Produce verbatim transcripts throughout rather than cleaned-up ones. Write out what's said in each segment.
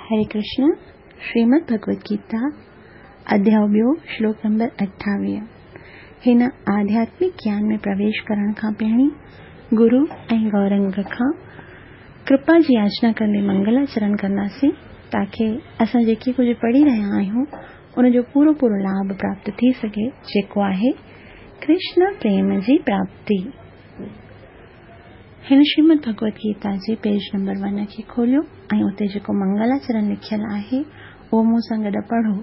हरे कृष्ण। श्रीमद् भगवद गीता अध्याय ॿियो श्लोक नंबर अठावीह। हिन आध्यात्मिक ज्ञान में प्रवेश करण खां पहिरीं गुरु ऐं गौरंग खां कृपा जी याचना कंदे मंगलाचरण कंदासीं ताकी असां जेके कुझु पढ़ी रहिया आहियूं उनजो पूरो पूरो लाभ प्राप्त थी सघे, जेको आहे कृष्ण प्रेम जी प्राप्ति। हिन श्रीमद् भगवद गीता जे पेज नंबर वन खे खोलियो ऐं उते जेको मंगलाचरण लिखियल आहे उहो मूं सां गॾु पढ़ो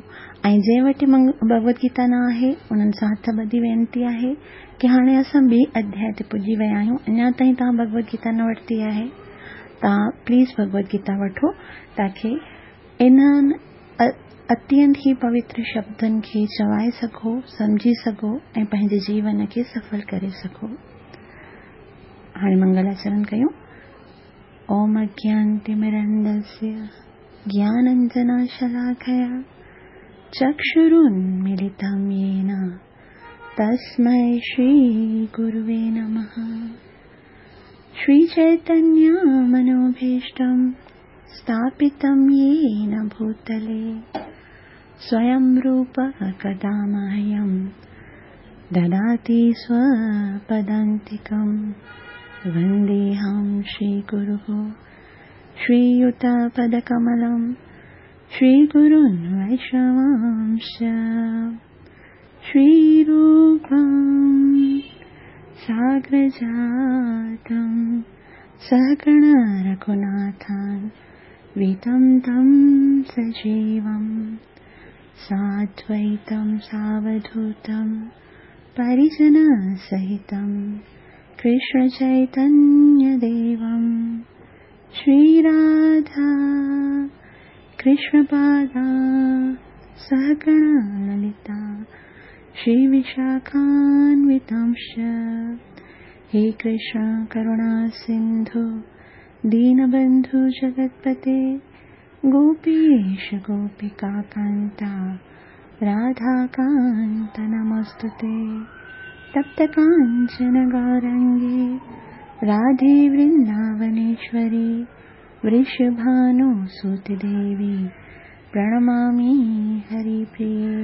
ऐं जंहिं वटि भगवद गीता न आहे उन्हनि सां हथ ॿधी वेनती आहे की हाणे असां ॿिए अध्याय ते पुॼी विया आहियूं, अञा ताईं तव्हां भगवद गीता न वरिती आहे, तव्हां प्लीज़ भगवद गीता वठो ताकी इन्हनि अत्यंत ई पवित्र शब्दनि खे चवाए सघो, सम्झी सघो ऐं पंहिंजे जीवन खे सफल करे सघो। हाणे मंगलाचरण कयूं। ओम अज्ञानतिमिरन्दस्य ज्ञानाञ्जनशलाकया चक्षुरुन्मीलितं येन तस्मै श्रीगुरुवे नमः। श्रीचैतन्यमनोभीष्टं स्थापितं येन भूतले स्वयं रूपः कदा मह्यं ददाति स्वपदान्तिकं। वन्देऽहं श्रीगुरुः श्रीयुतपदकमलं श्रीगुरुन् वैष्णवांश्च। श्रीरूपं साग्रजातं सहगण रघुनाथान् वितं तं सजीवं साद्वैतं सावधूतं परिजनसहितं कृष्णचैतन्यदेवं। श्रीराधा कृष्णपादा सहगण ललिता श्रीविशाखान्वितांश्च। हे कृष्ण करुणा सिन्धु दीनबन्धु जगत्पते गोपीश गोपिकान्ता राधाकान्त नमोऽस्तुते। तप्तकाञ्चन गौरङ्गे राधे वृन्दावनेश्वरी वृषभानुसुते देवी प्रणमामि हरिप्रिये।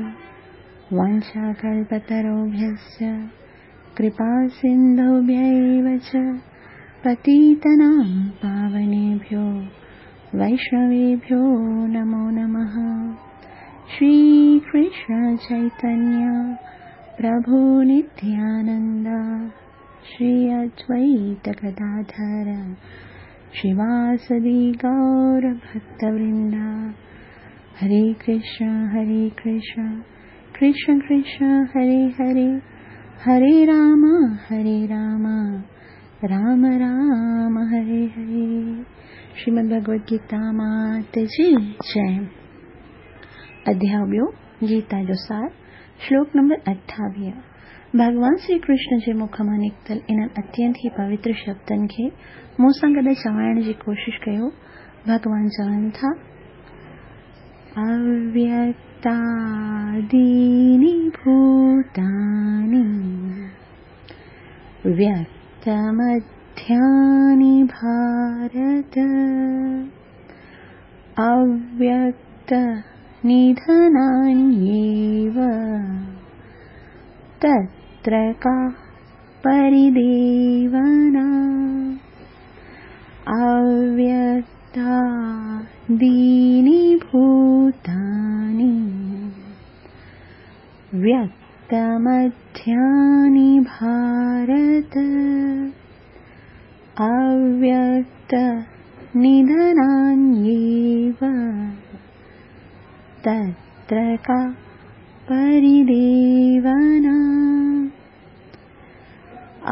वाञ्छाकल्पतरुभ्यश्च कृपासिन्धुभ्यैव च पतितानां पावनेभ्यो वैष्णवेभ्यो नमो नमः। श्रीकृष्ण चैतन्य प्रभु नित्यानंद श्री अद्वैत गदाधर श्रीवासदि गौर भक्तवृंद। हरे कृष्ण हरे कृष्ण कृष्ण कृष्ण हरे हरे, हरे राम हरे राम राम राम हरे हरे। श्रीमद् भगवद गीता मात जी जय। अध्याय ॿियो गीता जो सार, श्लोक नंबर अठावीह। भॻवान श्री कृष्ण जे मुख मां निकितल इन्हनि अत्यंत ई पवित्र शब्दनि खे मूं सां गॾु चवाइण जी कोशिशि कयो। भॻवान चवनि था, अव्यक्तादीनि भूतानि व्यक्तमध्यानि भारत अव्यक्त निधनान्येव तत्र का परिदेवना। अव्यक्तादीनि भूतानि व्यक्तमध्यानि भारत अव्यक्त निधनान्येव तत्र का परिदेवना।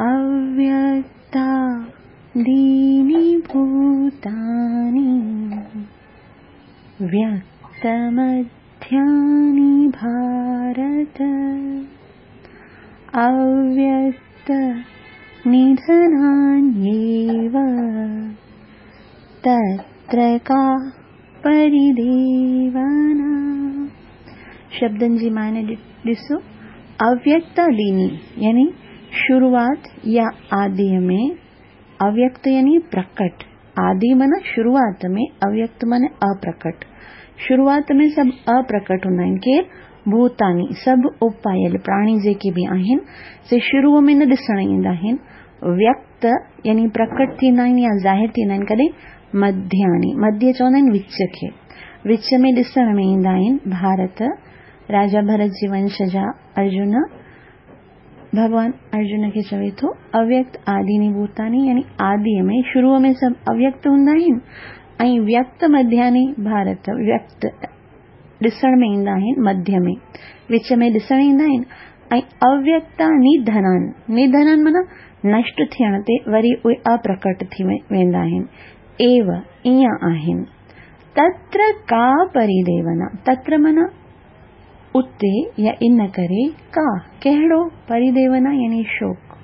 अव्यक्तादीनि भूतानि व्यक्तमध्यानि भारत अव्यक्त निधनान्येव तत्र का परिदेवना। शब्दनि जी माने ॾिसो, अव्यक्तादीनि यानी शुरुआत या आदिय में, अव्यक्त यानी प्रकट, आदि माना शुरूआत में, अव्यक्त माना अप्रकट। शुरूआत में सभु अप्रकट हूंदा आहिनि। केरु? भूतानी, सभु उपायल प्राणी जेके बि आहिनि से शुरू में न ॾिसण ईंदा आहिनि। व्यक्त यानी प्रकट थींदा आहिनि या ज़ाहिर थींदा आहिनि कॾहिं? मध्यानी, मध्य चवंदा आहिनि विच खे, विच में ॾिसण में ईंदा आहिनि। भारत, राजा भरत जी वंश जा अर्जुन, भॻवान अर्जुन खे चवे थो अव्यक्त आदि भूतानी यानी आदि में शुरू में सभु अव्यक्त हूंदा आहिनि ऐं व्यक्त मध्यानी भारत, व्यक्त ॾिसण में ईंदा आहिनि, मध्य में विच में ॾिसण ईंदा आहिनि। ऐं अव्यक्ता निधनान, निधनान माना नष्ट थियण ते वरी उहे अप्रकट थी वेंदा आहिनि। एव ईअं आहिनि। तत्र का परिदेवना, तत्र माना उते या इन करे, का कहिड़ो, परिदेवना यानी शोक।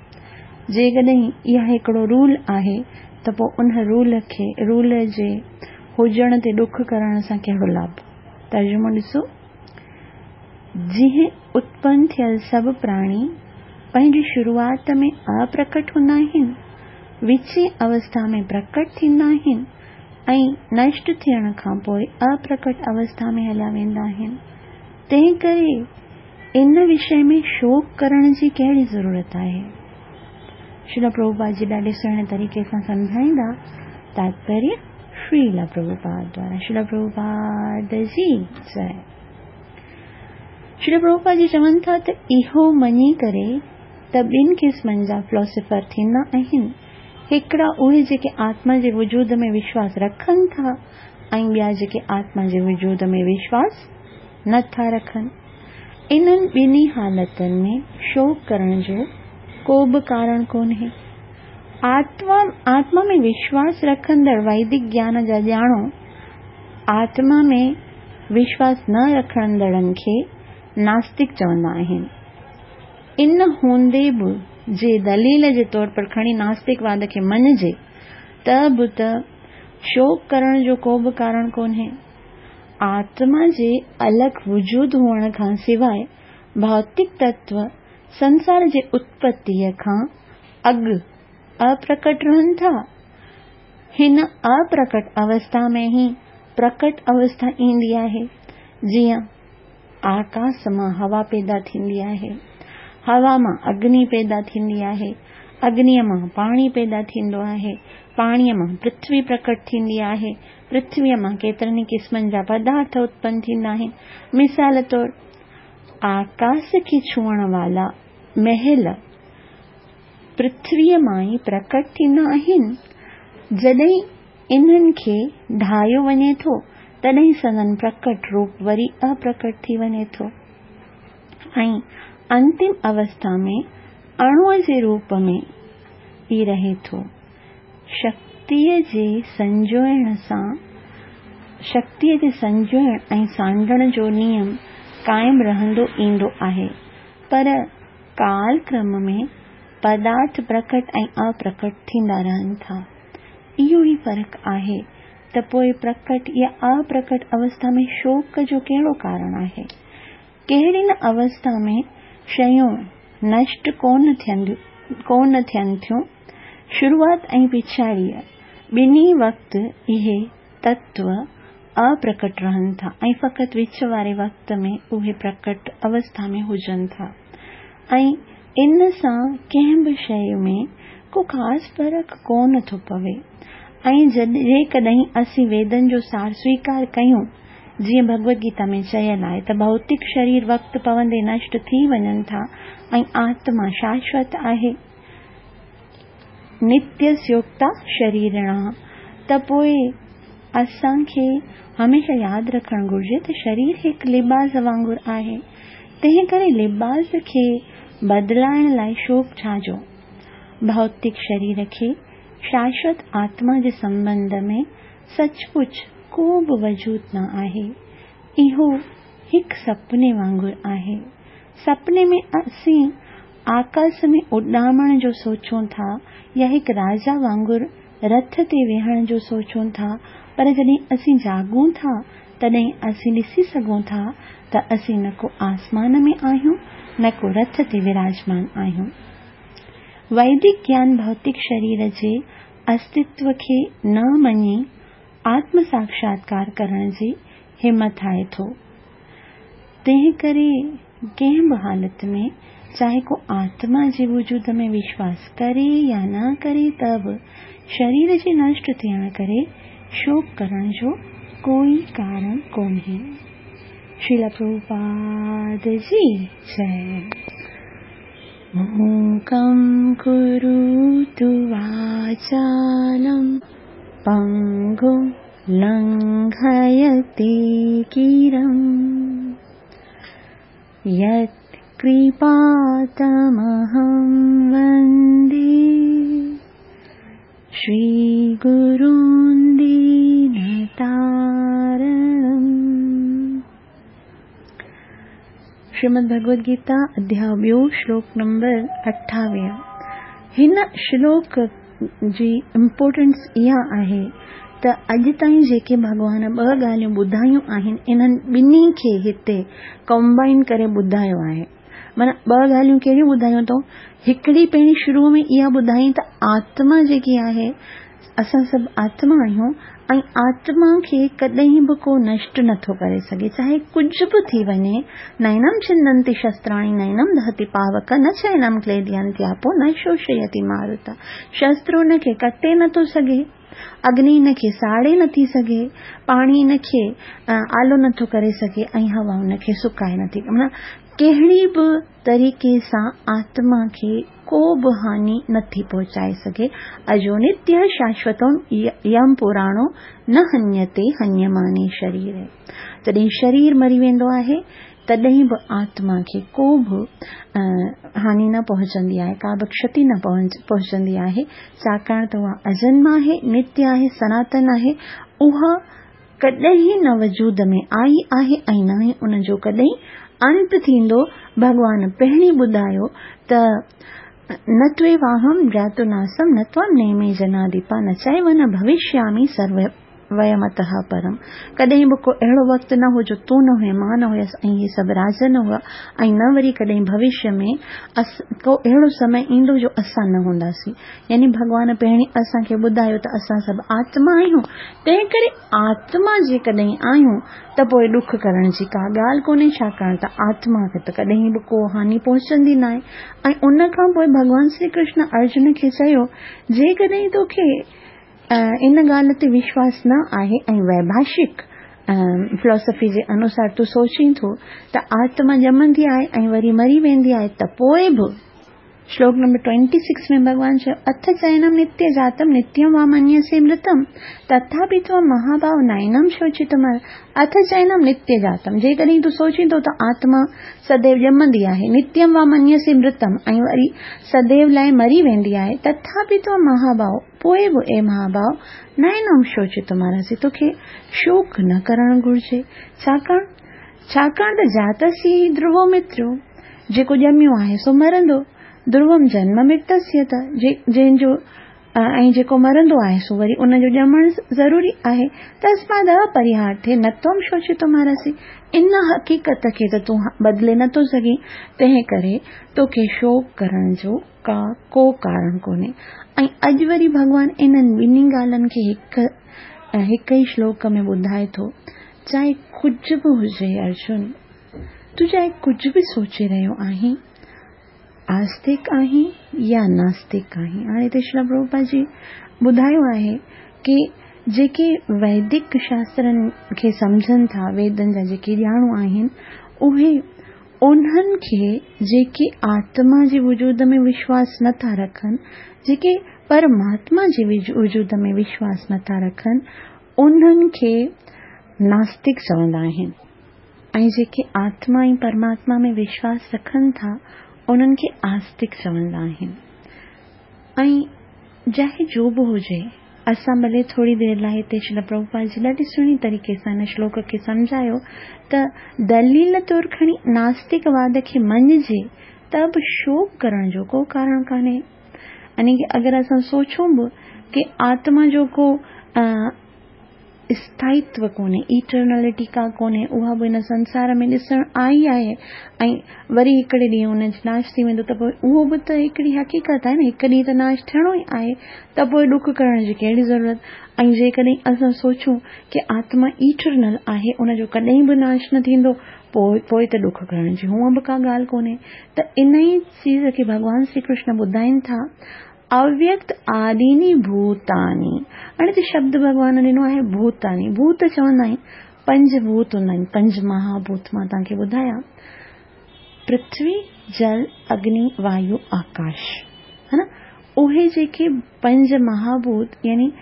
जेकॾहिं इहा हिकिड़ो रूल आहे त पोइ उन रूल खे, रूल जे हुजण ते ॾुख करण सां कहिड़ो लाभ? तर्जुमो ॾिसो, जीअं उत्पन्न थियल सभु प्राणी पंहिंजी शुरूआत में अप्रकट हूंदा आहिनि, विची अवस्था में प्रकट थींदा आहिनि ऐं नष्ट थियण खां पोइ अप्रकट अवस्था में हलिया वेंदा आहिनि, तंहिं करे इन विषय में शोक करण जी कहिड़ी ज़रूरत आहे? श्रील प्रभुपाद जी ॾाढे सुहिणे तरीक़े सां सम्झाईंदा। तात्पर्य श्रील प्रभुपाद द्वारा। श्रील प्रभुपाद जी जय। श्रील प्रभुपाद जी चवनि था त इहो मञी करे त ॿिनि क़िस्मनि जा फिलोसोफर थींदा आहिनि। हिकिड़ा उहे जेके आत्मा जे वजूद में विश्वास रखनि था ऐं ॿिया जेके आत्मा जे वजूद में विश्वास नथा रखनि। इन्हनि ॿिन्ही हालतुनि में शोक करण जो को बि कारण कोन्हे। आत्मा आत्मा में विश्वास रखंदड़ वैदिक ज्ञान जा ॼाणो आत्मा में विश्वास न रखंदड़नि खे नास्तिक चवंदा आहिनि। इन हूंदे बि जे दलील जे तौर पर खणी नास्तिकवाद खे मञिजे त बि त शोक करण जो को बि कारण कोन्हे। आत्मा जे अलॻि वजूद हुअण खां सवाइ भौतिक तत्व संसार जे उत्पत्तीअ खां अॻु अप्रकट रहनि था। हिन अप्रकट अवस्था में ई प्रकट अवस्था ईंदी आहे, जीअं आकाश मां हवा पैदा थींदी आहे, हवा मां अग्नि पैदा थींदी आहे, अग्निअ मां पाणी पैदा थींदो आहे, पाणीअ मां पृथ्वी प्रकट थींदी आहे, पृथ्वीअ मां केतिरनि क़िस्मनि जा पदार्थ उत्पन्न थींदा आहिनि। मिसाल तौर आकाश खे छुअण वाला महल पृथ्वीअ मां ई प्रकट थींदा आहिनि। जॾहिं इन्हनि खे ढाहियो वञे थो तॾहिं संदन प्रकट रूप वरी अप्रकट थी वञे थो ऐं अंतिम अवस्था में अणुअ जे रूप में ई रहे थो। शक्तीअ जे संजोइण सां शक्तीअ जे संजोइण ऐं सांडण जो नियम क़ाइमु रहंदो ईंदो आहे, पर कालक्रम में पदार्थ प्रकट ऐं अप्रकट थींदा रहनि था। इहो ई फ़र्क़ु आहे त पोइ प्रकट या अप्रकट अवस्था में शोक जो कहिड़ो कारण आहे? कहिड़ी न अवस्था में शयूं नष्ट कोन थियंदियूं कोन थियनि थियूं। शुरूआत ऐं पिछाड़ीअ ॿिन्ही वक़्तु इहे तत्व अप्रकट रहनि था ऐं फ़क़ति विच वारे वक़्त में उहे प्रकट अवस्था में हुजनि था ऐं इन सां कंहिं बि शइ में को ख़ासि फ़र्क़ु कोन थो पवे। ऐं जेकॾहिं असीं वेदनि जो सार स्वीकार कयूं, जीअं भगवद गीता में चयल आहे त भौतिक शरीर वक़्तु पवंदे नष्ट थी वञनि था ऐं आत्मा शाश्वत आहे, नित्य स्योक्ता शरीरिणा, त पोइ असांखे हमेशह यादि रखणु घुरिजे त शरीर हिकु लिबास वांगुरु आहे, तंहिं करे लिबास खे बदिलाइण लाइ शोक छा जो? भौतिक शरीर खे शाश्वत आत्मा जे संबंध में सचपुच को बि वजूद न आहे। इहो हिकु सपने वांगुरु आहे। सपने में असीं आकाश में उॾामण जो सोचूं था या हिकु राजा वांगुरु रथ ते वेहण जो सोचूं था, पर जॾहिं असीं जागूं था तॾहिं असीं ॾिसी सघूं था त असीं न को आसमान में आहियूं न को रथ ते विराजमान आहियूं। वैदिक ज्ञान भौतिक शरीर जे استتو کي نه مڃي آتم ساڪشاتڪار ڪرڻ جي همٿائي ٿو. تنهن ڪري ڪنهن به حالت ۾ چاهي ڪو آتما جي وجود ۾ وشواس ڪري يا نه ڪري ته به شرير جي نشٽ ٿيڻ ڪري شوڪ ڪرڻ جو ڪوئي ڪارڻ ڪونهي. شريل پرڀوپاد جي جئي. मूकं करोतु वाचालं पङ्गुं लङ्घयते गिरिं यत्कृपातमहं वन्दे श्रीगुरुं दीनतारणम्। श्रीमद् भगवद गीता अध्याय ॿियो श्लोक नंबर अठावीह। हिन श्लोक जी इम्पोर्टेंस इहा आहे त अॼु ताईं जेके भॻवान ॿ ॻाल्हियूं ॿुधायूं आहिनि इन्हनि ॿिन्ही खे हिते कंबाइन करे ॿुधायो आहे। माना ॿ ॻाल्हियूं कहिड़ियूं ॿुधायूं अथऊं? हिकिड़ी पहिरीं शुरू में इहा ॿुधाई त आत्मा जेकी आहे, असां सभु आत्मा आहियूं ऐं आत्मा खे कॾहिं बि को नष्ट नथो करे सघे, चाहे कुझु बि थी वञे। नैनम छिन्दन्ति शस्त्राणि नैनम दहति पावक न चैनम क्लेदयन्त्यापो न शोषयति मारुत। शस्त्र उनखे कटे नथो सघे, अग्नि इनखे साड़े नथी सघे, पाणी इनखे आलो नथो करे सघे ऐं हवा उनखे सुकाए नथी। माना कहिड़ी बि तरीक़े सां आत्मा खे को बि हानि नथी पहुचाए सघे। अजो नित्य शाश्वतो यम पुराणो न हन्यते हन्यमाने शरीर। जॾहिं शरीर मरी वेंदो आहे तॾहिं बि आत्मा खे को बि हानि न पहुचंदी आहे, का बि क्षति न पहुचंदी आहे, छाकाणि त उहा अजन्म आहे, नित्य आहे, सनातन आहे। उहा कॾहिं न वजूद में आई आहे ऐं न ई उनजो कॾहिं अंत थींदो। भॻवान पहिरीं ॿुधायो त न त्वेवाहं जातु नासं न त्वां नेमे जनाधिपा न चैव न भविष्यामि सर्व वयमतः परम। कॾहिं बि को अहिड़ो वक़्तु न हो जो तूं न हुए, मां न हुयसि ऐं इहे सभु राज न हुआ ऐं न वरी कॾहिं भविष्य में अस को अहिड़ो समय ईंदो जो असां न हूंदासीं। यानी भॻवान पहिरीं असांखे ॿुधायो त असां सभु आत्मा आहियूं, तंहिं करे आत्मा जेकॾहिं आहियूं त पोइ ॾुख करण जी का ॻाल्हि कोन्हे, छाकाणि त आत्मा खे त कॾहिं बि को हानि पहुचंदी न आहे। ऐं उन खां पोइ भॻवान श्री कृष्ण अर्जुन खे चयो, जेकॾहिं तोखे इन ॻाल्हि ते विश्वास न आहे ऐं वैभाषिक फिलॉसफी जे अनुसार तूं सोचीं थो त आत्मा ॼमंदी आहे ऐं वरी मरी वेंदी आहे, त पोइ बि श्लोक नंबर ट्वेंटी सिक्स में भॻवान चयो, अथ चैनम नित्य जातम नित्यम वा मन्यसे मृतम तथापि त्वं महाभाव नैनम शोचितुम। अथ चैनम नित्य जातम, जेकॾहिं तूं सोचींदो त आत्मा सदैव ॼमंदी आहे, नित्यम वा मन्यसे मृतम ऐं वरी सदैव लाइ मरी वेंदी आहे, तथापि त्वं महाभाव, पोइ बि ए महाभाव नैनम शोचितुमर्हसि, तोखे शोक न करणु घुरिजे। छाकाणि छाकाणि त जातस्य ई ध्रुवो मित्रो, जेको ॼमियो आहे सो मरंदो, ध्रुवम जन्म मृतस्य त जंहिंजो ऐं जेको मरंदो आहे सो वरी उनजो ॼमणु ज़रूरी आहे। तस्माद् अपरिहार्थे न त्वं शोचितुमर्हसि, इन हक़ीक़त खे त तूं बदिले नथो सघीं, तंहिं करे तोखे शोक करण जो का को कारण कोन्हे। ऐं अॼु वरी भॻवान इन्हनि ॿिन्ही ॻाल्हियुनि खे हिकु हिकु ई श्लोक में ॿुधाए थो, चाहे कुझु बि हुजे अर्जुन, तूं चाहे कुझु बि सोचे रहियो आहीं, आस्तिक आहीं या नास्तिक आहीं। हाणे हिते श्रील प्रभुपाद जी ॿुधायो आहे की जेके वैदिक शास्त्रनि खे सम्झनि था, वेदनि जा जेके ॼाणू आहिनि, उहे उन्हनि खे जेके आत्मा जे वजूद में विश्वास नथा रखनि, जेके परमात्मा जे वजूद में विश्वास नथा रखनि, उन्हनि खे नास्तिक चवंदा आहिनि। ऐं जेके आत्मा ऐं परमात्मा में विश्वास रखनि था उन्हनि खे आस्तिक चवंदा आहिनि। ऐं चाहे जो बि हुजे, असां भले थोरी देरि लाइ हिते श्रील प्रभुपाद जी ॾाढी सुहिणी तरीक़े सां हिन श्लोक खे सम्झायो त दलील तौर खणी नास्तिकवाद खे मञिजे त बि शोक करण जो को कारण कान्हे। यानी की अगरि असां सोचूं बि की आत्मा जो को اسٿائيتو ڪونهي، ايٽرنلٽي ڪا ڪونهي، اها به هن سنسار ۾ ڏسڻ آئي آهي ۽ وري هڪڙي ڏينهن ان جو ناش ٿي ويندو ته پوء اهو به ته هڪڙي حقيقت آهي نه، هڪ ڏينهن ته ناش ٿيڻو ئي آهي ته پوء ڏک ڪرڻ جي ڪهڙي ضرورت؟ ۽ جيڪڏهن اسان سوچون ڪي آتما ايٽرنل آهي، ان جو ڪڏهن به ناش نه ٿيندو، پوء پوء ته ڏک ڪرڻ جي هونء به ڪا ڳالهه ڪونهي. ته ان ئي چيز کي ڀڳوان شري ڪرشن ٻڌائين ٿا، اويڪت آديني ڀوتاني. هاڻي هتي شبد ڀڳوان ڏنو آهي ڀوتاني. ڀوت چوندا آهن پنج ڀوت هوندا آهن، پنج مهاڀوت مان توهان کي ٻڌايا، پرٿوي، جل، اگني، وايو، آڪاش، ها نه؟ اهي جيڪي پنج مهاڀوت يعني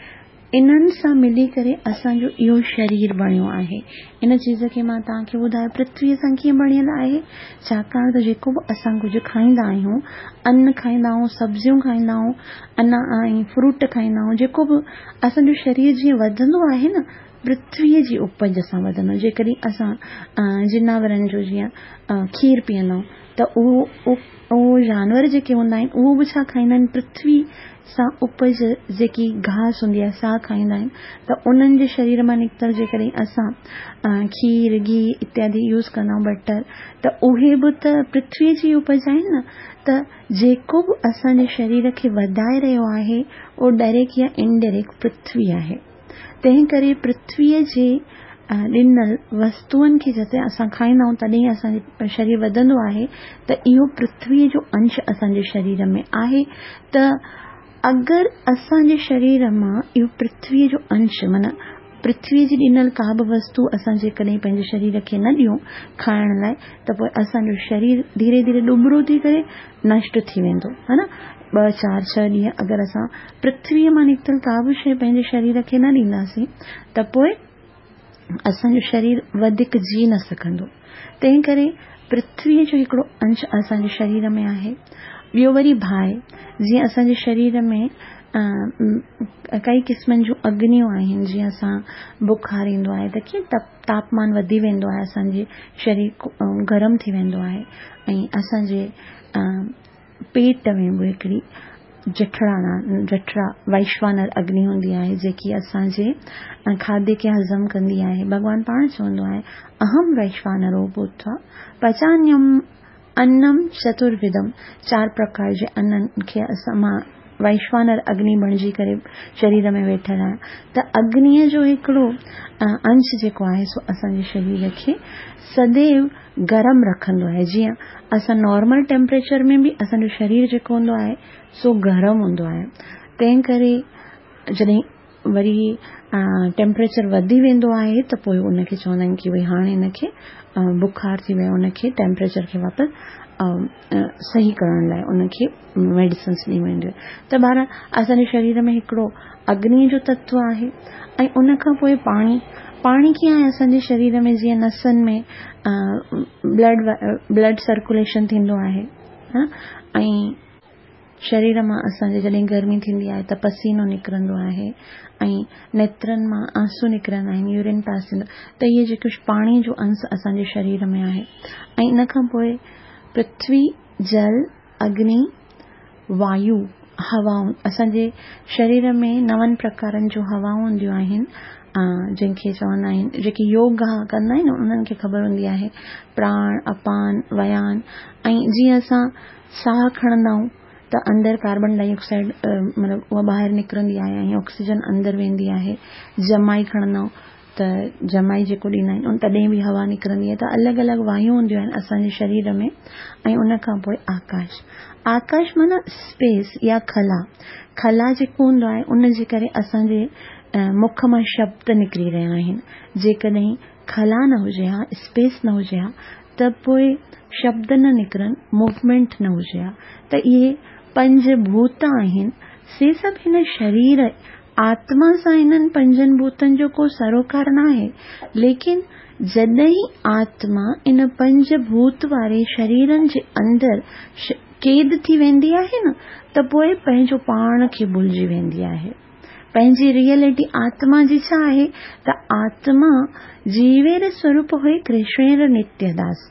انهن سان ملي ڪري اسان جو اهو شرير بڻيو آهي. ان چيز کي مان توهان کي ٻڌايو پرٿويء سان ڪيئن بڻيل آهي، ڇاڪاڻ ته جيڪو به اسان ڪجهه کائيندا آهيون، ان کائيندا آهيون، سبزيون کائيندا آهيون، ان ۽ فروٽ کائيندا آهيون، جيڪو به اسان جو شرير جيئن وڌندو آهي نه، پرٿويء جي اپج سان وڌندو. جيڪڏهن اسان جناورن جو جيئن کير پيئندا آهيون ته اهو اهو جانور جيڪي هوندا آهن اهو به ڇا کائيندا آهن، پرٿوي سان اپج جيڪي گاهه هوندي آهي سا کائيندا آهن. ته انهن جي شرير مان نڪتل جيڪڏهن اسان کير، گيهه اتيادي يوز ڪندا آهيون، بٽر، ته اهي به ته پرٿويء جي اپج آهن نه. ته جيڪو به اسان جي شرير کي وڌائي رهيو آهي اهو ڊائريڪٽ يا انڊائريڪٽ پرٿوي آهي. تنهن ڪري پرٿويء جي ڏنل وستوئن کي جڏهن اسان کائيندا آهيون تڏهن اسان جو شرير وڌندو آهي. ته اهو پرٿويء جو انش اسان جي شرير ۾ آهي. ته اگر اسان جي شرير مان اهو پرٿويء جو انش معنيٰ پرٿويء جي ڏنل ڪا به وستو اسان جيڪڏهن پنهنجي شرير کي نه ڏيون کائڻ لاءِ ته پوءِ اسان جو شرير ڌيري ڌيري ڏٻرو ٿي ڪري نشٽ ٿي ويندو، ها نه؟ ٻه چار ڇهه ڏينهن اگر اسان پرٿويء مان نڪتل ڪا به شيءِ پنهنجي شرير کي نه ڏينداسين ته پوءِ اسان جو شرير وڌيڪ جي نه سگهندو. تنهن ڪري پرٿويء جو هڪڙو انش اسان جي شرير ۾ آهي. ٻيو وري باهه، جيئن اسان جي شرير ۾ ڪئي قسمن جون اگنيون آهن، جيئن اسان بخار ايندو آهي ته ڪيئن تاپمان وڌي ويندو آهي، اسان جي شرير گرم ٿي ويندو آهي ۽ اسان جي پيٽ ۾ به هڪڙي جٺرا جٺرا ويشوانر اگني هوندي آهي جيڪي اسان جي کاڌي کي هضم ڪندي آهي. ڀڳوان پاڻ چوندو آهي اهم ويشوانرو ڀوتوا پچانيم انم چتروڌم. چار پرڪار جي انن کي اسان مان ويشوانر اگني بڻجي ڪري شرير ۾ ويٺل آهيان. ته اگنيءَ جو هڪڙو انش جيڪو آهي سو اسان جي شرير کي سديو گرم رکندو آهي. جيئن اسان نارمل ٽيمپريچر ۾ به اسان جو شرير جيڪو هوندو آهي سو گرم هوندو آهي. تنهن ڪري جڏهن وري ٽيمپريچر وڌي ويندو آهي ته پوءِ ان کي چوندا آهن ڪه ڀئي هاڻي هن کي بخار ٿي ويو، ان کي ٽيمپريچر کي واپس صحيح ڪرڻ لاءِ ان کي ميڊيسنس ڏني وينديون آهن. ته بهرحال اسان جي شرير ۾ هڪڙو اگنيءَ جو تتو آهي ۽ ان کان پوءِ پاڻي. پاڻي ڪيئن آهي اسان جي شرير ۾ جيئن نسن ۾ بلڊ بلڊ سرڪيوليشن ٿيندو آهي ۽ شرير مان اسان جي جڏهن گرمي ٿيندي آهي ته پسينو نڪرندو آهي ۽ نيترن مان آنسو نڪرندا آهن، يورين پاس ٿيندو، ته اهي جيڪو پاڻي جو انش اسان جي شرير ۾ آهي. ۽ ان کان پوءِ پرٿوي، جل، اگني، وايو، هوائون. اسان جي شرير ۾ نون پرڪارن جون هوائون هونديون آهن جنهن کي چوندا آهن، جيڪي يوگا ڪندا آهن انهن کي خبر هوندي آهي، پراڻ، اپان، ويان. ۽ جيئن اسان ساهه کڻندا آهيون ته اندر ڪاربن ڊاءِ آڪسائيڊ مطلب اها ٻاهر نڪرندي آهي ۽ آڪسيجن اندر ويندي آهي. جمائي کڻندا آهيون ته جمائي جيڪو ڏيندا آهن تڏهن به هوا نڪرندي آهي. ته الڳ الڳ وايون هونديون آهن اسان جي شرير ۾. ۽ ان کان پوءِ آڪاش. آڪاش معنيٰ اسپيس يا خلا. خلا جيڪو هوندو آهي ان جي ڪري اسان جي مک مان شبد نڪري رهيا آهن. جيڪڏهن خلا نه هجي ها، اسپيس نه هجي ها، ته پوءِ شبد نه نڪرن، موومينٽ نه هجي ها. ته اهي پنج ڀوت آهن سي سڀ هن شرير آتما سان هنن پنجن ڀوتن جو ڪو سروڪار نه آهي. ليڪن جڏهن آتما ان پنج ڀوت واري شريرن جي اندر قيد ٿي ويندي آهي نه، ته پوءِ پنهنجو پاڻ کي ڀلجي ويندي آهي. پنهنجي ريئلٽي آتما جي ڇا آهي ته آتما جيوير سوروپ هئي ڪرشنر نتيداس.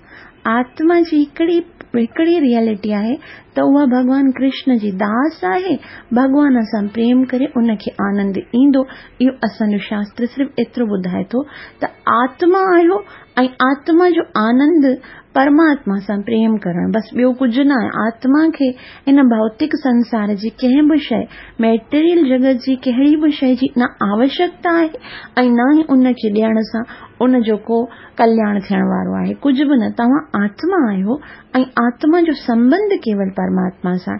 آتما جي هڪڙي هڪڙي ريئلٽي آهي ته اها ڀڳوان ڪرشن جي داس آهي، ڀڳوان سان پريم ڪري ان کي آنند ايندو. اهو اسان جو شاستر صرف ايترو ٻڌائي ٿو ته آتما آهيو ۽ آتما جو آنند پرماتما سان پريم ڪرڻ، بس ٻيو ڪجهه نه آهي. آتما کي هن ڀوتڪ سنسار جي ڪنهن به شيءِ، ميٽيريل جڳت جي ڪهڙي به شيءِ جي نه آوشيڪتا آهي ۽ نه ئي ان کي ڏيڻ سان ان جو ڪو ڪلياڻ ٿيڻ وارو آهي، ڪجهه به نه. توهان آتما آهيو ۽ آتما جو سنٻنڌ ڪيول پرماتما سان.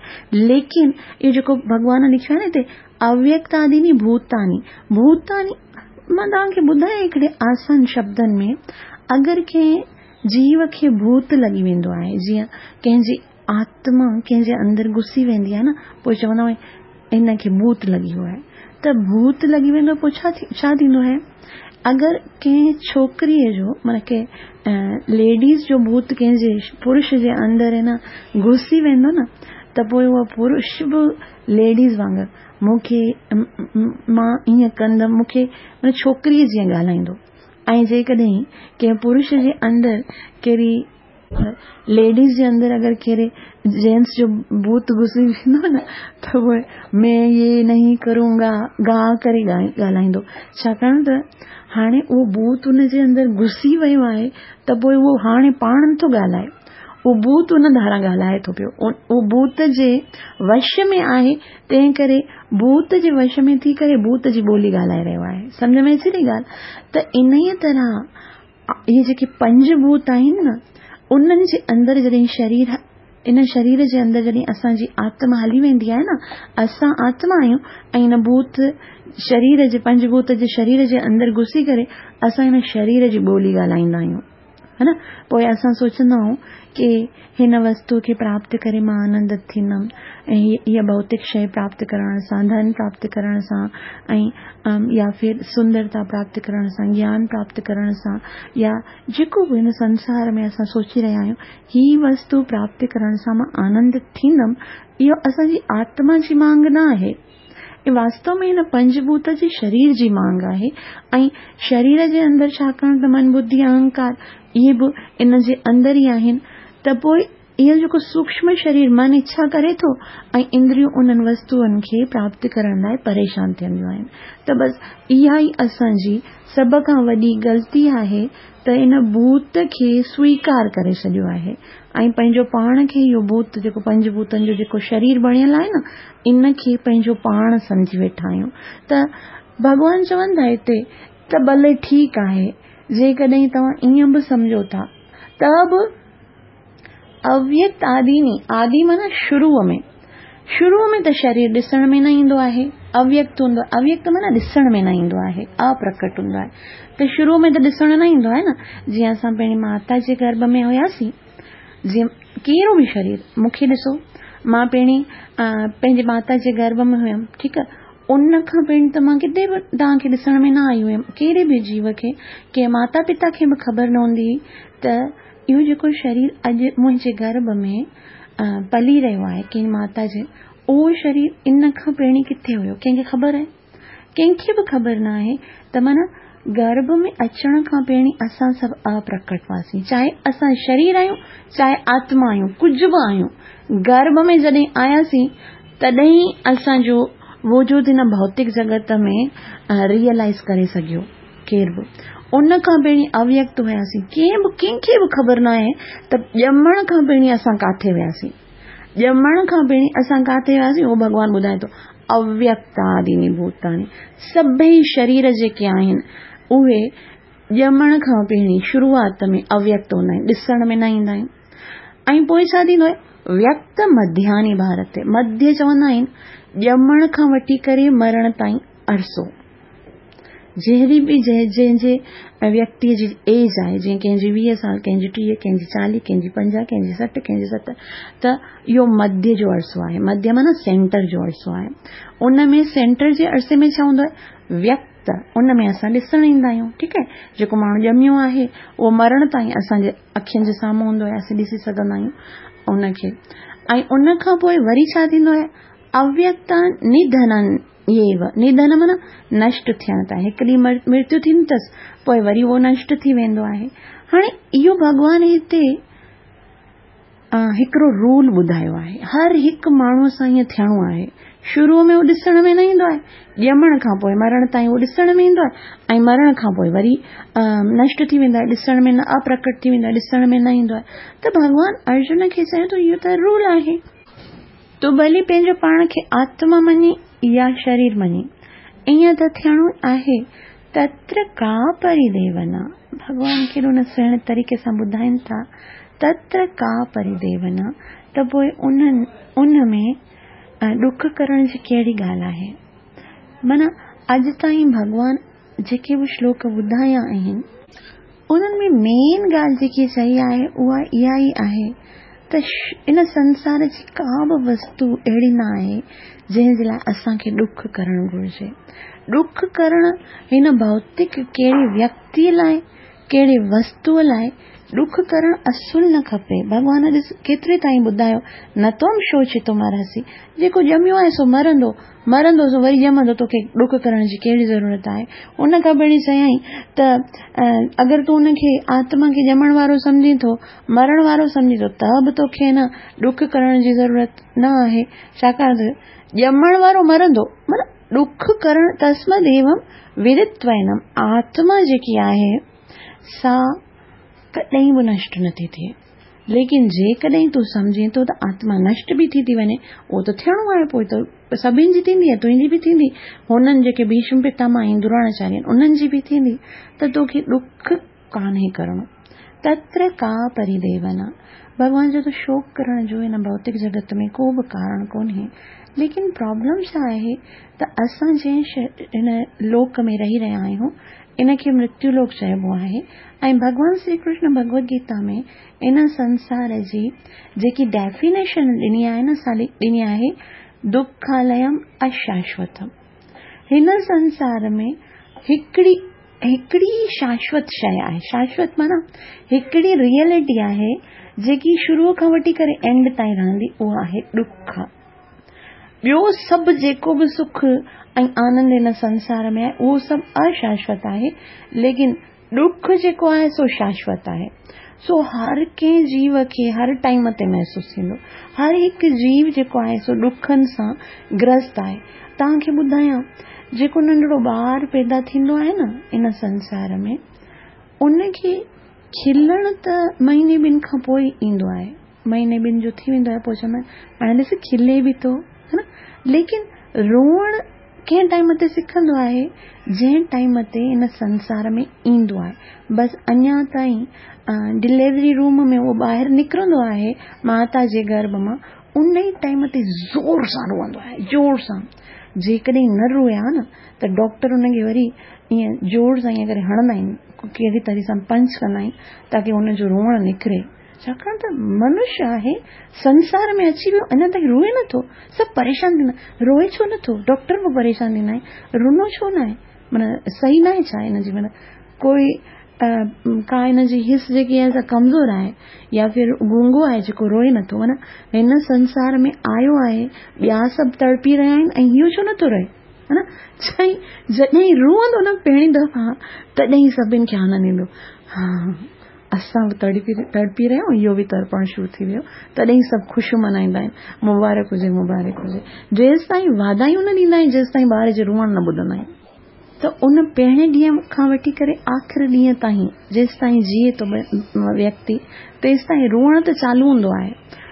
ليڪن اهو جيڪو ڀڳوان لکيو آهي نه هتي اويڪت آديني ڀوتاني، ڀوتاني مان توهان کي ٻڌايان هڪڙي آسان شبدن ۾، اگر ڪنهن جيو کي ڀوت لڳي ويندو آهي، جيئن ڪنهن جي آتما ڪنهن جي اندر گهسي ويندي آهي نه، پوءِ چوندا آهيون هن کي ڀوت لڳي ويو آهي، ته ڀوت لڳي ويندو پوءِ ڇا ڇا ٿيندو آهي؟ اگر ڪنهن ڇوڪريءَ جو معنيٰ ڪنهن ليڊيز جو ڀوت ڪنهن جي پرش جي اندر نه گهسي ويندو نه، ته پوءِ اهو پرش به ليڊيز وانگر مون کي مان ائين ڪندم، مون کي معنيٰ ڇوڪريءَ جيئن ڳالهائيندو. ۽ جيڪڏهن ڪنهن پرش جي اندر ڪهڙي ليڊيز جي اندر اگر ڪهڙي جينٽس جو ڀوت گهسي ويندو نه، ته پوءِ مين يي نهين ڪرونگا گا ڪري ڳالهائيندو. ڇاڪاڻ ته هاڻي اهو ڀوت ان جي اندر گهسي ويو آهي، ته پوءِ اهو هاڻي پاڻ نٿو ڳالهائي، اهو ڀوت ان ڌاران ڳالهائي ٿو پيو، اهو ڀوت جي وش ۾ آهي، تنهن ڪري ڀوت جي وش ۾ ٿي ڪري ڀوت جي ٻولي ڳالهائي رهيو آهي. سمجهه ۾ اچي ٿي ڳالهه؟ ته ان ئي طرح اهي جيڪي پنج ڀوت آهن نه، انهن جي اندر جڏهن شرير، ان شرير جي اندر جڏهن اسان جي آتما هلي ويندي آهي نه، اسان آتما آهيون ۽ ان ڀوت شرير جي پنج ڀوت جي شرير جي اندر گهسي ڪري اسان هن شرير جي ٻولي ڳالهائيندا آهيون، ها نه. پوءِ اسان سوچندا آهيون ڪه هن وستو کي پراپت ڪري مان آنندت ٿيندم ۽ هيءَ ڀوتڪ شيءِ پراپت ڪرڻ سان، ڌن پراپت ڪرڻ سان، ۽ يا ڦر سندرتا پراپت ڪرڻ سان، گيان پراپت ڪرڻ سان، يا جيڪو به هن سنسار ۾ اسان سوچي رهيا آهيون هي وستو پراپت ڪرڻ سان مان آنندت ٿيندم، اهو اسان جي آتما جي مانگ نه آهي. واستو ۾ هن پنجڀوت جي شرير جي مانگ آهي. ۽ شرير جي اندر ڇاڪاڻ ته من، ٻڌي، اهنڪار اهي به ان جي اندر ئي آهن، ته پوءِ اهو جيڪو سوڪشم شرير من اڇا ڪري ٿو ۽ اندريون انهن وستوئن کي پراپت ڪرڻ لاءِ پريشان ٿينديون آهن. ته بس اها ئي اسان جي سڀ کان وڏي غلطي آهي ته ان ڀوت کي سويڪار ڪري ڇڏيو آهي ۽ پنهنجو پاڻ کي اهو ڀوت جيڪو پنج ڀوتن جو جيڪو شرير بڻيل آهي نه، ان کي پنهنجو پاڻ سمجهي ويٺا آهيون. ته ڀڳوان چون ٿا هتي ته ڀلي ٺيڪ آهي، جيڪڏهن توهان ائين به سمجهو ٿا ته به اويڪت آديني، آدي معنيٰ شروع ۾، شروع ۾ ته شرير ڏسڻ ۾ نه ايندو آهي، اويڪت هوندو آهي. اويڪت معنيٰ ڏسڻ ۾ نه ايندو آهي، اپرڪٽ هوندو آهي. ته شروع ۾ ته ڏسڻ نه ايندو آهي نه. جيئن اسان پنهنجي ماتا جي گرڀ ۾ هئاسين، جيئن ڪهڙو به شرير مون کي ڏسو، مان پهرين پنهنجي ماتا جي گرڀ ۾ هيم، ٺيڪ آهي، ان کان پهرين ته مان ڪٿي به توهان کي ڏسڻ ۾ نه آئي هيم، ڪهڙي به جيو کي، ڪنهن ماتا پتا کي به خبر نه هوندي هئي ته اهو جيڪو شرير اڄ منهنجي گرڀ ۾ پلي رهيو آهي ڪنهن ماتا جي، اهو شرير ان کان پهرين ڪٿي هيو، ڪنهن کي خبر آهي؟ ڪنهن کي به خبر نه آهي. ته معنيٰ گرڀ ۾ اچڻ کان پهرين اسان سڀ اپرڪٽ هئاسين، چاهي اسان شرير آهيون چاهي آتما آهيون، ڪجهه به آهيون، گرڀ ۾ جڏهن آياسين تڏهن اسان جو وجود هن ڀوتڪ جڳت ۾ ريئلائيز ڪري سگهيو ڪير به. ان کان پهرين اويڪت هئاسين، ڪنهن به ڪنهن کي به خبر نه آهي ته ڄمڻ کان پهرين اسان ڪاٿي وياسين، ڄمڻ کان پهرين اسان ڪاٿي وياسين، اهو ڀڳوان ٻڌائي ٿو. اويڪت آديني ڀوتاني، سڀئي شرير جيڪي آهن اهي ڄمڻ کان پهرين شروعات ۾ اويڪت هوندا آهن، ڏسڻ ۾ نه ايندا آهن. ۽ پوءِ ڇا ٿيندو آهي؟ ويڪت مڌياني ڀارت، مڌيه چوندا آهن ڄمڻ کان وٺي ڪري مرڻ تائين عرصو، جهڙي به جنهن جي ويڪتيءَ جي ايج آهي، جيئن ڪنهن جي ويهه سال، ڪنهن جي ٽيهه، ڪنهن جي چاليهه، ڪنهن جي پنجاهه، ڪنهن جي سٺ، ڪنهن جي ستر، ته اهو مڌيه جو عرصو آهي. مڌيه معنيٰ سينٽر جو عرصو آهي. ان ۾ سينٽر جي عرصي ۾ ڇا هوندو آهي؟ ويڪت، ان ۾ اسان ڏسڻ ايندا آهيون، ٺيڪ آهي. جيڪو ماڻهو ڄميو آهي اهو مرڻ تائين اسان جي اکين جي سامهون هوندو آهي، اسين ڏسي سگهندا آهيون ان کي. ۽ ان کان پوءِ وري ڇا ٿيندو آهي؟ اويڪت نڌنن ايو، نڌن معنيٰ نشٽ ٿيڻ تائين، هڪ ڏينهن مرتيو ٿيندي اٿس پوءِ وري اهو نشٽ ٿي ويندو آهي. هاڻي اهو ڀڳوان هتي हिकिड़ो रूल ॿुधायो आहे। हर हिकु माण्हूअ सां ईअं थियणो आहे। शुरू में उहो ॾिसण में न ईंदो आहे, ॼमण खां पोइ मरण ताईं उहो ॾिसण में ईंदो आहे ऐं मरण खां पोइ वरी नष्ट थी वेंदो आहे, ॾिसण में न, अप्रकट थी वेंदो आहे, ॾिसण में न ईंदो आहे। त भॻवान अर्जुन खे चयो त इहो त रूल आहे, तूं भली पंहिंजो पाण खे आत्मा मञी या शरीर मञी, ईअं त थियणो आहे। तत्र का परिदेवना, भॻवान केॾो न सुहिणे तरीक़े सां ॿुधाइनि था, तत्र का परिदेवना, त पोइ उन्हनि उन में ॾुख करण जी कहिड़ी ॻाल्हि आहे। माना अॼु ताईं भॻवान जेके बि श्लोक ॿुधाया आहिनि उन्हनि में मेन ॻाल्हि जेकी चई आहे उहा इहा ई आहे त इन संसार जी का बि वस्तु अहिड़ी न आहे जंहिं जे लाइ असांखे ॾुख करणु घुरिजे। ॾुख करण हिन भौतिक कहिड़े व्यक्ति लाइ, कहिड़े वस्तूअ लाइ ॾुख करणु असुल न खपे। भॻवान ॾिस केतिरे ताईं ॿुधायो, न त्वं शोचितुमर्हसि, जेको ॼमियो आहे सो मरंदो, मरंदो सो वरी ॼमंदो, तोखे ॾुख करण जी कहिड़ी ज़रूरत आहे। उन खां पहिरीं चयाईं त अगरि तूं उनखे आत्मा खे ॼमण वारो सम्झी थो, मरण वारो सम्झी थो, त बि तोखे न ॾुख करण जी ज़रूरत न आहे, छाकाणि त ॼमण वारो मरंदो। माना ॾुख करण तस्मद् एवं विदित्वैनम, आत्मा जेकी आहे सा कॾहिं बि नष्ट नथी थिए। लेकिन जेकॾहिं तूं सम्झे थो त आत्मा नष्ट बि थी थी वञे, उहो त थियणो आहे, पोइ त सभिनी जी थींदी, तुंहिंजी बि थींदी, हुननि जेके भीष्म पितामह ऐं द्रोणाचार्य आहिनि उन्हनि जी बि थींदी, त तोखे ॾुख कान्हे करिणो। तत्र का परिदेवना, भॻवान जो त शोक करण जो हिन भौतिक जगत में को बि कारण कोन्हे। लेकिन प्रॉब्लम छा आहे त असां जंहिं हिन लोक में रही रहिया आहियूं इनखे मृत्यु लोक चइबो आहे ऐं भॻवान श्री कृष्ण भगवद गीता में इन संसार जी जेकी डेफिनेशन ॾिनी आहे न, सा ॾिनी आहे दुखालयम अशाश्वतम। हिन संसार में हिकिड़ी हिकिड़ी शाश्वत शइ आहे, शाश्वत माना हिकिड़ी रियलिटी आहे जेकी शुरू खां वठी करे एंड ताईं रहंदी, उहा आहे ॾुख। ॿियो सभु जेको बि सुख ऐं आनंद हिन संसार में आहे उहो सभु अशाश्वत आहे, लेकिन ॾुख जेको आहे सो शाश्वत आहे। सो हर कंहिं जीव खे हर टाइम ते महसूसु थींदो, हर हिकु जीव जेको आहे सो ॾुखनि सां ग्रस्त आहे। तव्हांखे ॿुधायां, जेको नंढड़ो ॿार पैदा थींदो आहे न इन संसार में, उनखे खिलणु त महीने ॿिनि खां पोइ ईंदो आहे, महीने ॿिनि जो थी वेंदो आहे पोइ चवंदा आहिनि हाणे ॾिस खिले बि थो, है न। लेकिन रोअणु कंहिं टाइम ते सिखंदो आहे, जंहिं टाइम ते इन संसार में ईंदो आहे। बसि अञा ताईं डिलीवरी रूम में उहो ॿाहिरि निकिरंदो आहे माता जे गर्भ मां, उन ई टाइम ते ज़ोर सां रोअंदो आहे, ज़ोर सां। जेकॾहिं न रोया न त डॉक्टर उनखे वरी ईअं ज़ोर सां ईअं करे हणंदा आहिनि, कहिड़ी तरह सां पंच कंदा आहिनि ताकी हुनजो रोअणु निकिरे, छाकाणि त मनुष्य आहे, संसार में अची वियो, अञा ताईं रोए नथो, सभु परेशान थींदा, रोए छो नथो, डॉक्टर बि परेशान थींदा आहिनि, रुनो छो न आहे, माना सही न आहे छा हिन जी, माना कोई का हिन जी हिस जेकी आहे सा कमज़ोर आहे या फिर गूंगो आहे जेको रोए नथो, माना हिन संसार में आयो आहे, ॿिया सभु तड़पी रहिया आहिनि ऐं इहो छो नथो रोए, है न। चई जॾहिं रोअंदो न पहिरीं दफ़ा, तॾहिं सभिनी खे आनंद ईंदो, हा असां बि तड़पी तड़पी रहिया आहियूं, इहो बि तड़पणु शुरू थी वियो, तॾहिं सभु ख़ुशियूं मल्हाईंदा आहिनि, मुबारक हुजे मुबारक हुजे। जेसि ताईं वाधायूं न ॾींदा आहिनि, जेसि ताईं ॿार जे रोअणु न ॿुधंदा आहिनि। त उन पहिरें ॾींहं खां वठी करे आख़िरी ॾींहं ताईं जेसि ताईं जीए थो व्यक्ति, तेसि ताईं रोअणु त चालू हूंदो आहे,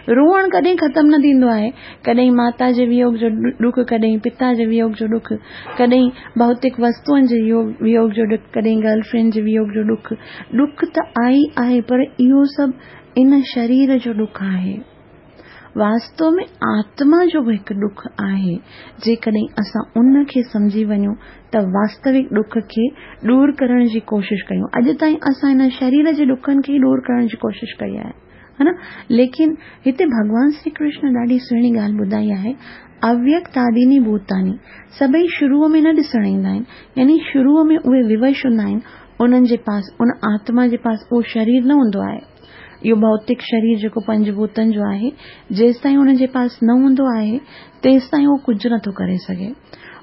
रोअणु कॾहिं ख़तमु न थींदो आहे। कॾहिं माता जे वियोग जो ॾुख, कॾहिं पिता जे वियोग जो ॾुख, कॾहिं भौतिक वस्तुअनि जे वियोग जो ॾुख, कॾहिं गर्लफ्रेंड जे वियोग जो ॾुख। ॾुख त आई आहे, पर इहो सभु इन शरीर जो ॾुख आहे। वास्तव में आत्मा जो बि हिकु ॾुख आहे, जेकॾहिं असां उनखे सम्झी वञूं त वास्तविक ॾुख खे दूर करण जी कोशिशि कयूं। अॼु ताईं असां हिन शरीर जे ॾुखनि खे ई दूर करण जी कोशिशि कई आहे, है न। लेकिन हिते भॻवान श्री कृष्ण ॾाढी सुहिणी ॻाल्हि ॿुधाई आहे, अव्यक्त आदीनी भूतानी, सभई शुरू में न ॾिसण ईंदा आहिनि, यानी शुरू में उहे विवश हूंदा आहिनि, उन्हनि जे पास, उन आत्मा जे पास उहो शरीर न हूंदो आहे, इहो भौतिक शरीर जेको पंचभूतनि जो आहे, जेसि ताईं हुन जे पास न हूंदो आहे तेसि ताईं उहो कुझु नथो करे सघे।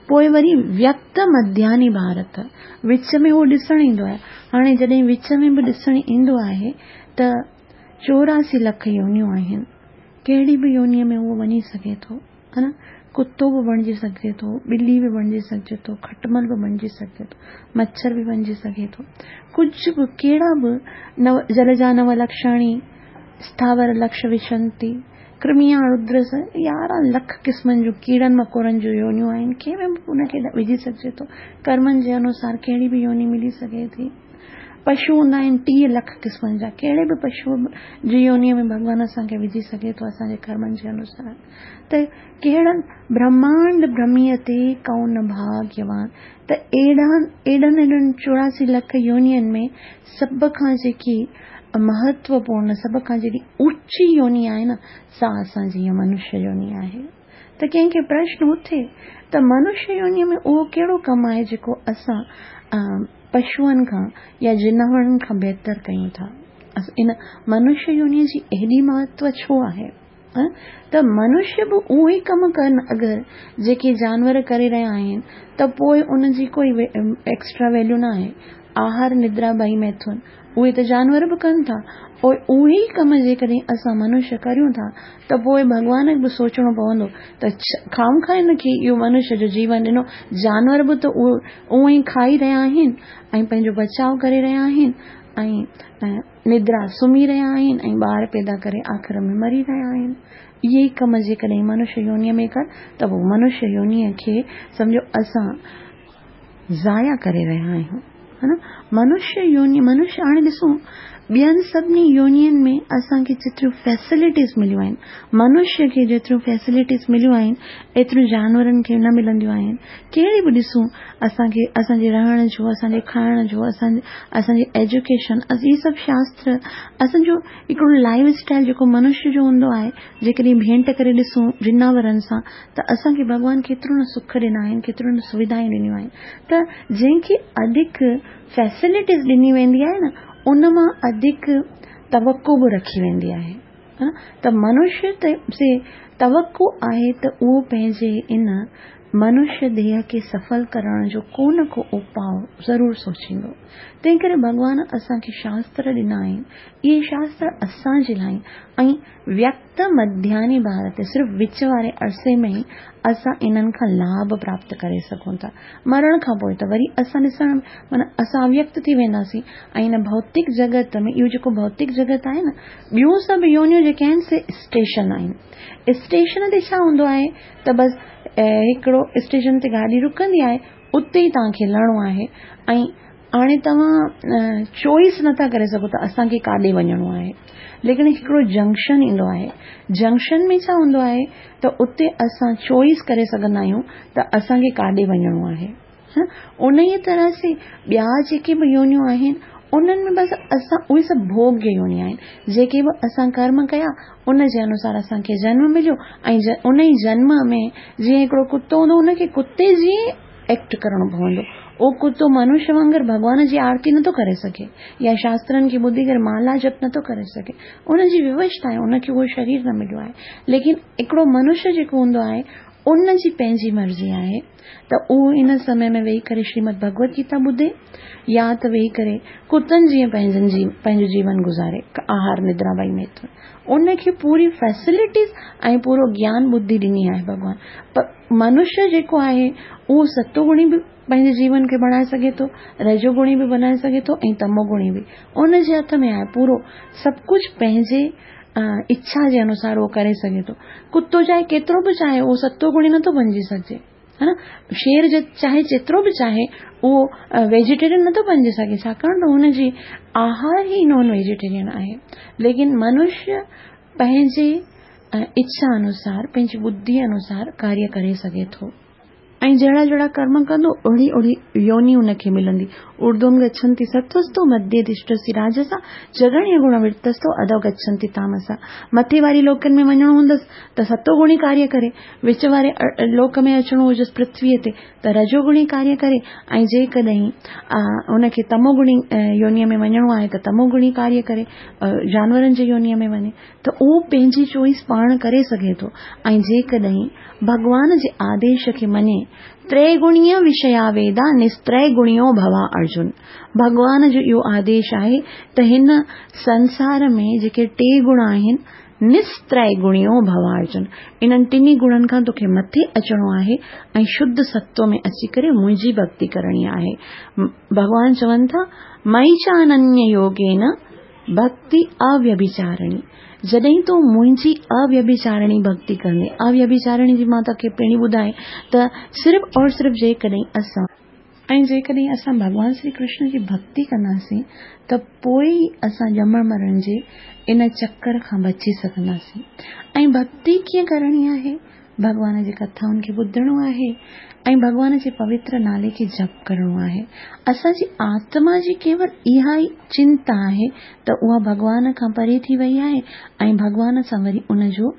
पोइ वरी व्यक्त मध्यानी भारत, विच में उहो ॾिसण ईंदो आहे। हाणे जॾहिं विच में बि ॾिसण ईंदो आहे त چوراسي لک يونيون آهن، ڪهڙي به يونيءَ ۾ اهو وڃي سگهي ٿو، ها نه؟ ڪتو به بڻجي سگهجي ٿو، ٻلي به بڻجي سگهجي ٿو، کٽمل به بڻجي سگهجي ٿو، مڇر به بڻجي سگهي ٿو، ڪجهه به ڪهڙا به نو جل جا نو لکشاڻي اسٿاور لڪش وشنتي ڪرميا ردر يارهن لک قسمن جون ڪيڙن مڪوڙن جون يونيون آهن، ڪنهن ۾ به ان کي وجهي سگهجي ٿو. ڪرمن جي انوسار ڪهڙي به يوني ملي سگهي ٿي. پشو هوندا آهن ٽيهه لک قسمن جا، ڪهڙي به پشو جي يونيءَ ۾ ڀڳوان اسان کي وجهي سگهي ٿو اسان جي ڪرمن جي انوسار. ته ڪهڙن برهمانڊ ڀرميءَ تي ڪونه ڀاگيوان، ته اهڙا اهڙن اهڙن چوراسي لک يونين ۾ سڀ کان جيڪي مهتوپورڻ سڀ کان جيڏي اوچي يوني آهي نه، سا اسان جي اها منشيه يوني آهي. ته ڪنهن کي پرشن اٿي ته منشيه يونيءَ ۾ اهو ڪهڙو ڪم آهي جيڪو اسان پشوئن کان يا جناورن کان بهتر ڪيون ٿا؟ ان منشيه يونيءَ جي ايڏي مهتو ڇو آهي؟ ته منشيه به اهو ئي ڪم ڪن اگر جيڪي جانور ڪري رهيا آهن ته پوءِ ان جي ڪوئي ايڪسٽرا ويليو نه آهي. آهار نندرا ٻئي ميٿن اهي ته جانور به ڪن ٿا، پوءِ اهي ئي ڪم جيڪڏهن اسان منشيه ڪريون ٿا ته پوءِ ڀڳوان کي به سوچڻو پوندو ته خام کان هن کي اهو منشيه جو جيون ڏنو، جانور به ته اهو اونئن ئي کائي رهيا آهن ۽ پنهنجو بچاءُ ڪري رهيا آهن ۽ ندرا سمهي رهيا آهن ۽ ٻار پيدا ڪري آخر ۾ مري رهيا آهن. اهي ئي ڪم جيڪڏهن منشيه يونيءَ ۾ ڪن ته پوءِ منشيه يونيءَ کي سمجهو اسان ضايع ڪري رهيا آهيون، ها نه؟ منشيه يوني منشيه هاڻي ڏسون ٻين سڀني يونين ۾ اسان کي جيتريون فيسلٽيز مليون آهن، منشيه کي جيتريون فيسلٽيز مليون آهن ايتريون جانورن کي نه ملنديون آهن. ڪهڙي به ڏسون اسان کي اسان جي رهڻ جو، اسان جي کائڻ جو، اسان اسان جي ايجوڪيشن، اهي سڀ شاستر اسان جو هڪڙو لائيف اسٽائل جيڪو منشيه جو هوندو آهي، جيڪڏهن ڀينٽ ڪري ڏسون جناورن سان ته اسان کي ڀڳوان ڪيترو نه سک ڏنا آهن، ڪيترو نه سوڌائون ڏنيون آهن. ته جنهن کي اڌڪ فيسلٽيز ڏني ويندي آهي نه، ان مان اڌڪ توقع به رکي ويندي آهي. ته منشيه تي توقع آهي ته اهو پنهنجي ان منشيه ديهه کي سڦل ڪرڻ جو ڪو نه ڪو اپاءُ ضرور سوچيندو. تنهن ڪري ڀڳوان اسان کي شاستر ڏنا آهن، اهي شاستر اسان جي لاءِ ۽ ويڪت مڌياني ڀارت صرف وچ واري عرصي ۾ ئي اسان انهن کان لاڀ پراپت ڪري سگهون ٿا. مرڻ کان پوءِ ته وري اسان ڏسڻ معنيٰ اسان اويڪت ٿي وينداسين ۽ هن ڀوتڪ جڳت ۾ اهو جيڪو ڀوتڪ جڳت آهي نه، ٻيون سڀ يونيون جيڪي آهن سي اسٽيشن آهن. اسٽيشن تي ڇا هوندو آهي ته بس هڪڙو اسٽيشن تي گاڏي رڪندي آهي، اتي ئي توهان کي لهڻو آهي ۽ هاڻي توهان چوائس نٿا ڪري سگهو ته اسان کي ڪاڏي وڃڻو آهي. ليڪن هڪڙو جنڪشن ايندو آهي، جنڪشن ۾ ڇا هوندو آهي ته اتي اسان چوائس ڪري سگهندا آهيون ته اسان کي ڪاڏي وڃڻو آهي. ان ئي طرح سي ٻيا جيڪي به يونيون آهن انهن ۾ بس اسان اهي سڀ ڀوڳ يوني آهن، جيڪي به اسان ڪرم ڪيا ان جي انوسار اسان کي جنم مليو ۽ ان ئي جنم ۾ جيئن هڪڙو ڪتو هوندو ان کي ڪتي جيئن ايڪٽ ڪرڻو پوندو. اهو ڪتو منشيه وانگر ڀڳوان جي آرتي نٿو ڪري سگهي يا شاسترن کي ٻڌي ڪري مالا جپ نٿو ڪري سگهي، ان جي ووسٿا آهي، ان کي اهو شرير نه مليو آهي. ليڪن هڪڙو منشيه جيڪو هوندو آهي ان جي پنهنجي مرضي آهي ته اهو ان سمي ۾ ويهي ڪري شريمد ڀڳوت گيتا ٻڌي يا ته ويهي ڪري ڪتن جيئن پنهنجن جي پنهنجو جيون گذاري، آهار ندرا ٻئي ميٿن. ان کي پوري فيسلٽيز ۽ پورو گيان ٻڌي ڏني آهي ڀڳوان. پر منشيه جيڪو آهي اهو ستوگڻي به پنهنجي جيون کي بڻائي سگهي ٿو، رجوگڻي به بڻائي سگهي ٿو ۽ تموگڻي به. ان جي هٿ ۾ آهي پورو سڀ ڪجهه، پنهنجي اڇا جي انوسار اهو ڪري سگهي ٿو. ڪتو چاهي ڪيترو به چاهي اهو ستوگڻي نٿو بڻجي سگهجي، ها نه؟ شير چاهي جيترو به چاهي اهو ويجيٽيرين نٿو بڻجي سگهي، ڇاڪاڻ ته هن جي آهار ئي نان ويجيٽيرين آهي. ليڪن منشيه پنهنجي اڇا انوسار پنهنجي ٻڌي انوسار ڪاريه ڪري سگهي ٿو ۽ جهڙا جهڙا ڪرم ڪندو اوهڙي اوهڙي يوني ان کي ملندي. اردوم گڇنتي ستوستو مڌيه تشتسي راجسا جگڻيه گڻ ورتستو اڌو گڇنتي تامسا. مٿي واري لوڪن ۾ وڃڻو هوندس ته ستوگڻي ڪاريه ڪري، وچ واري لوڪ ۾ اچڻو هجيس پرٿويءَ تي ته رجوگڻي ڪاريه ڪري ۽ جيڪڏهن ان کي تموگڻي يونيءَ ۾ وڃڻو آهي ته تموگڻي ڪاريه ڪري، جانورن جي يونيءَ ۾ وڃي ته اهو پنهنجي چوائس پاڻ ڪري سگهي ٿو. ۽ جيڪڏهن ڀڳوان جي آديش کي مڃي त्रैगुण्य विषया वेदा निस्त्रैगुण्यो भवा अर्जुन। भॻवान जो इहो आदेश आहे त हिन संसार में जेके टे गुण आहिनि, निस्त्रैगुण्यो भवा अर्जुन, इन्हनि टिन्ही गुणनि खां तोखे मथे अचिणो आहे ऐं शुद्ध सत्व में अची करे मुंहिंजी भक्ति करणी आहे। भॻवान चवनि था मयि च अनन्य योगेन भक्ति अव्यभिचारिणी। जॾहिं तूं मुंहिंजी अव्यभिचारिणी भक्ति कंदे, अव्यभिचारिणी जी मां तोखे पहिरीं ॿुधाए त सिर्फ़ और सिर्फ़ जेकॾहिं असां ऐं जेकॾहिं असां भॻवान श्री कृष्ण जी भक्ति कंदासीं त पोइ ई असां ॼमण मरण जे इन चक्कर खां बची सघंदासीं। ऐं भक्ति कीअं करणी आहे? भॻवान जी कथाउनि खे ॿुधणो आहे ऐं भॻवान जे पवित्र नाले खे जप करिणो आहे। असांजी आत्मा जी केवल इहा ई चिंता आहे त उहा भॻवान खां परे थी वई आहे ऐं भॻवान सां वरी उनजो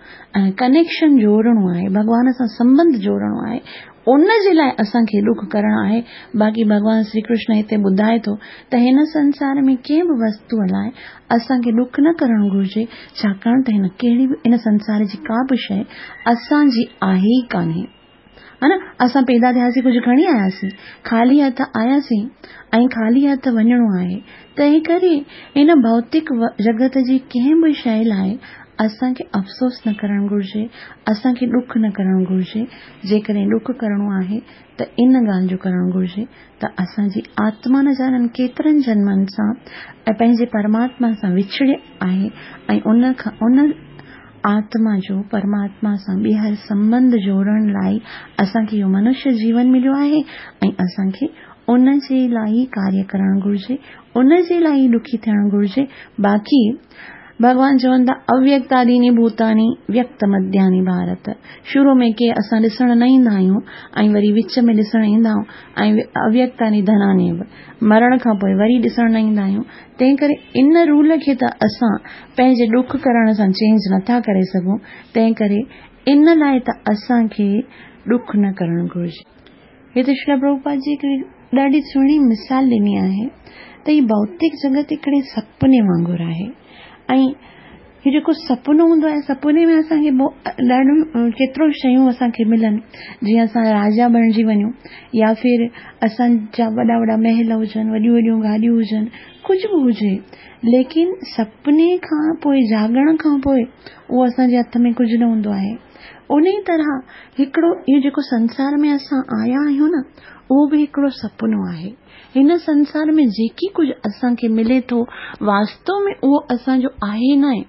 कनेक्शन जोड़िणो आहे, भॻवान सां संबंध जोड़िणो आहे, उन जे लाइ असांखे ॾुख करणो आहे। बाक़ी भॻवान श्री कृष्ण हिते ॿुधाए थो त हिन संसार में कंहिं बि वस्तूअ लाइ असांखे ॾुख न करणु घुरिजे, छाकाणि त हिन कहिड़ी बि इन संसार जी का बि शइ असांजी आहे ई कान्हे। हा न, असां पैदा थियासीं, कुझु खणी आयासीं, ख़ाली हथ आयासीं ऐं ख़ाली हथ वञिणो आहे। तंहिं करे हिन भौतिक जगत जी कंहिं बि शइ लाइ असांखे अफ़सोस न करणु घुरिजे, असांखे ॾुख न करणु घुरिजे। जेकॾहिं ॾुख करिणो आहे त इन ॻाल्हि जो करणु घुरिजे त असांजी आत्मा न ॼाणनि केतिरनि जन्मनि सां ऐं पंहिंजे परमात्मा सां विछड़े आहे ऐं उन खां उन आत्मा जो परमात्मा सां ॿीहर संबंध जोड़ण लाइ असांखे इहो मनुष्य जीवन मिलियो आहे ऐं असांखे उन जे लाइ ई कार्य करणु घुरिजे, उन जे लाइ ई ॾुखी थियणु घुरिजे। बाक़ी भॻवान चवनि था अव्यक्तादीनि भूतानि व्यक्त मध्यानि भारत। शुरू में के असां ॾिसण न ईंदा आहियूं ऐं वरी विच में ॾिसण ईंदा आहियूं ऐं अव्यक्तानि धनानि मरण खां पोइ वरी ॾिसण न ईंदा आहियूं। तंहिं करे इन रूल खे त असां पंहिंजे ॾुख करण सां चेंज नथा करे सघूं, तंहिं करे इन लाइ त असांखे ॾुख न करणु घुरिजे। हिते श्रील प्रभुपाद जी हिकिड़ी ॾाढी सुहिणी मिसाल ॾिनी आहे त हीउ भौतिक जगत हिकिड़े सपने वांगुरु आहे ऐं हीउ जेको सपनो हूंदो आहे, सपने में असांखे ॾाढो केतिरो शयूं असांखे मिलनि, जीअं असां राजा बणिजी वञूं या फिर असांजा वॾा वॾा महल हुजनि, वॾियूं वॾियूं गाॾियूं हुजनि, कुझु बि हुजे, लेकिन सपने खां पोइ जाॻण खां पोइ उहो असांजे हथ में कुझु न हूंदो आहे। उन ई तरह हिकिड़ो इहो जेको संसार में असां आया आहियूं न, उहो बि हिकिड़ो सपनो आहे। हिन संसार में जेकी कुझु असांखे मिले थो वास्तव में उहो असांजो आहे न आहे,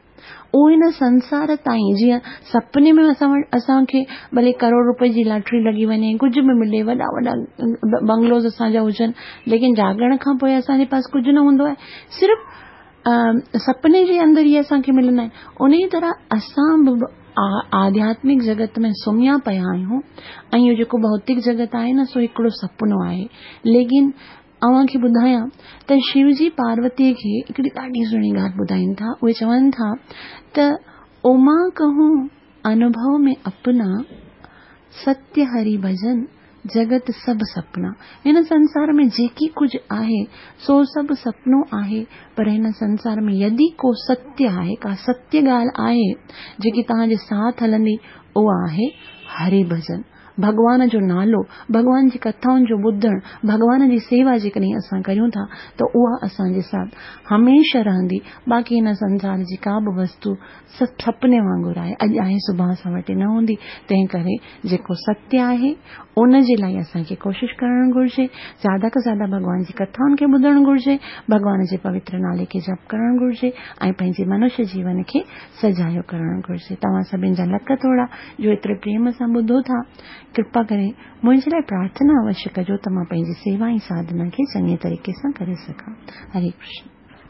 उहो हिन संसार ताईं जीअं सपने में असां वटि असांखे भले करोड़ रुपए जी लॉटरी लॻी वञे, कुझु बि मिले, वॾा वॾा बंगलोज़ असांजा हुजनि, लेकिन जाॻण खां पोइ असांजे पास कुझु न हूंदो आहे, सिर्फ़ सपने जे अंदरि ई असांखे मिलंदा आहिनि। उन ई तरह असां बि आध्यात्मिक जगत में सुम्हिया पिया आहियूं ऐं इहो जेको भौतिक जगत आहे न, सो हिकिड़ो सपनो आहे। लेकिन अव्हांखे ॿुधायां त शिवजी पार्वतीअ खे हिकिड़ी ॾाढी सुहिणी ॻाल्हि ॿुधाइनि था। उहे चवनि था त उमा कहूं अनुभव में अपना, सत्य हरि भजन जगत सभु सपना। हिन संसार में जेकी कुझु आहे सो सभु सपनो आहे, पर हिन संसार में यदि को सत्य आहे, का सत्य ॻाल्हि आहे जेकी तव्हांजे साथ हलंदी, उहा आहे हरि भजन, भॻवान जो नालो, भॻवान जी कथाउनि जो ॿुधणु, भॻवान जी सेवा जेकॾहिं असां करियूं था त उहा असांजे साथ हमेशह रहंदी। बाक़ी हिन संसार जी का बि वस्तू सपने वांगुरु आहे, अॼु आहे सुभाणे असां वटि न हूंदी। तंहिं करे जेको सत्य आहे उन जे लाइ असांखे कोशिशि करणु घुरिजे, ज़्यादा खां ज़्यादा भॻवान जी कथाउनि खे ॿुधणु घुरिजे, भॻवान जे पवित्र नाले खे जप करणु घुरिजे ऐं पंहिंजे मनुष्य जीवन खे सजायो करणु घुरिजे। तव्हां सभिनी जा लख थोरा जो एतिरे प्रेम सां ॿुधो था। कृपा करे मुंहिंजे लाइ प्रार्थना अवश्य कजो त मां पंहिंजी सेवा ऐं साधना खे चङे तरीक़े सां करे सघां। हरे कृष्ण।